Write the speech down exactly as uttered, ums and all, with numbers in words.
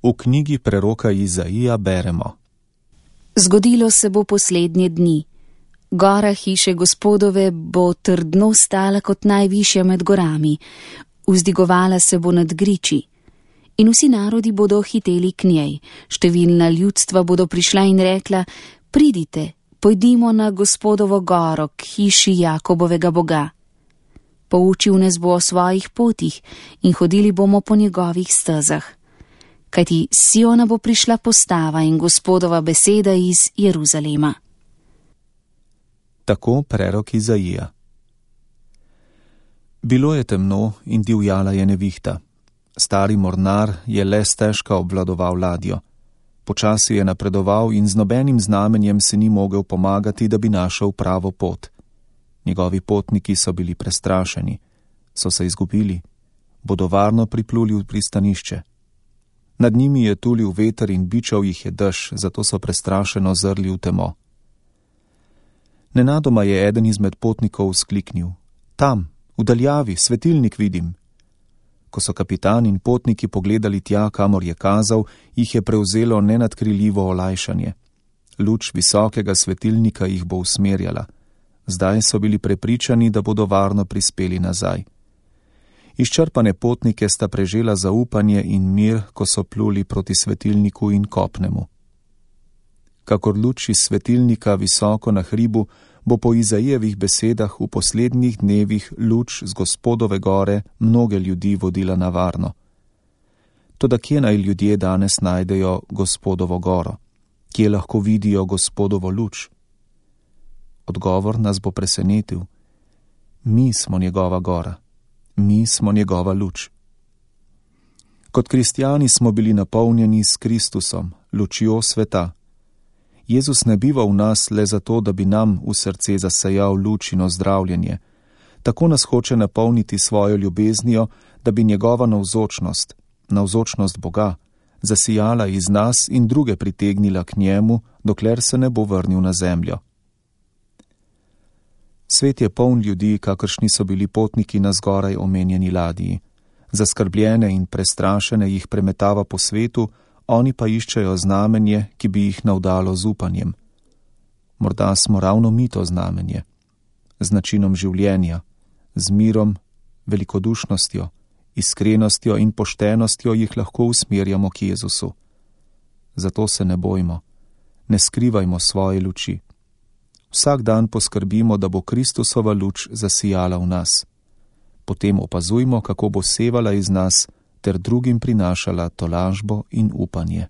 V knjigi preroka Izaija beremo: Zgodilo se bo poslednje dni. Gora hiše Gospodove bo trdno stala kot najvišja med gorami, vzdigovala se bo nad griči. In vsi narodi bodo hiteli k njej, številna ljudstva bodo prišla in rekla: Pridite, pojdimo na Gospodovo goro, k hiši Jakobovega Boga. Poučil nas bo o svojih potih in hodili bomo po njegovih stezah. Kajti s Siona bo prišla postava in Gospodova beseda iz Jeruzalema. Tako prerok Izaija. Bilo je temno in divjala je nevihta. Stari mornar je le stežka obvladoval ladjo. Počasi je napredoval in z nobenim znamenjem se ni mogel pomagati, da bi našel pravo pot. Njegovi potniki so bili prestrašeni, so se izgubili, bodo varno pripluli v pristanišče. Nad njimi je tulil veter in bičal jih je dež, zato so prestrašeno zrli v temo. Nenadoma je eden izmed potnikov vzkliknil: Tam, v daljavi, svetilnik vidim. Ko so kapitan in potniki pogledali tja, kamor je kazal, jih je prevzelo nenadkriljivo olajšanje. Luč visokega svetilnika jih bo usmerjala. Zdaj so bili prepričani, da bodo varno prispeli nazaj. Izčrpane potnike sta prežela zaupanje in mir, ko so pluli proti svetilniku in kopnemu. Kakor luč iz svetilnika visoko na hribu, bo po Izaijevih besedah v poslednjih dnevih luč z Gospodove gore mnoge ljudi vodila na varno. Toda kje naj ljudje danes najdejo Gospodovo goro? Kje lahko vidijo Gospodovo luč? Odgovor nas bo presenetil. Mi smo njegova gora. Mi smo njegova luč. Kot kristjani smo bili napolnjeni s Kristusom, lučjo sveta. Jezus ne biva v nas le zato, da bi nam v srce zasejal luč in ozdravljenje. Tako nas hoče napolniti svojo ljubeznijo, da bi njegova navzočnost, navzočnost Boga, zasijala iz nas in druge pritegnila k njemu, dokler se ne bo vrnil na zemljo. Svet je poln ljudi, kakršni so bili potniki na zgoraj omenjeni ladji. Zaskrbljene in prestrašene jih premetava po svetu, oni pa iščejo znamenje, ki bi jih navdalo z upanjem. Morda smo ravno mi to znamenje. Z načinom življenja, z mirom, velikodušnostjo, iskrenostjo in poštenostjo jih lahko usmerjamo k Jezusu. Zato se ne bojmo, ne skrivajmo svoje luči. Vsak dan poskrbimo, da bo Kristusova luč zasijala v nas. Potem opazujmo, kako bo sevala iz nas ter drugim prinašala tolažbo in upanje.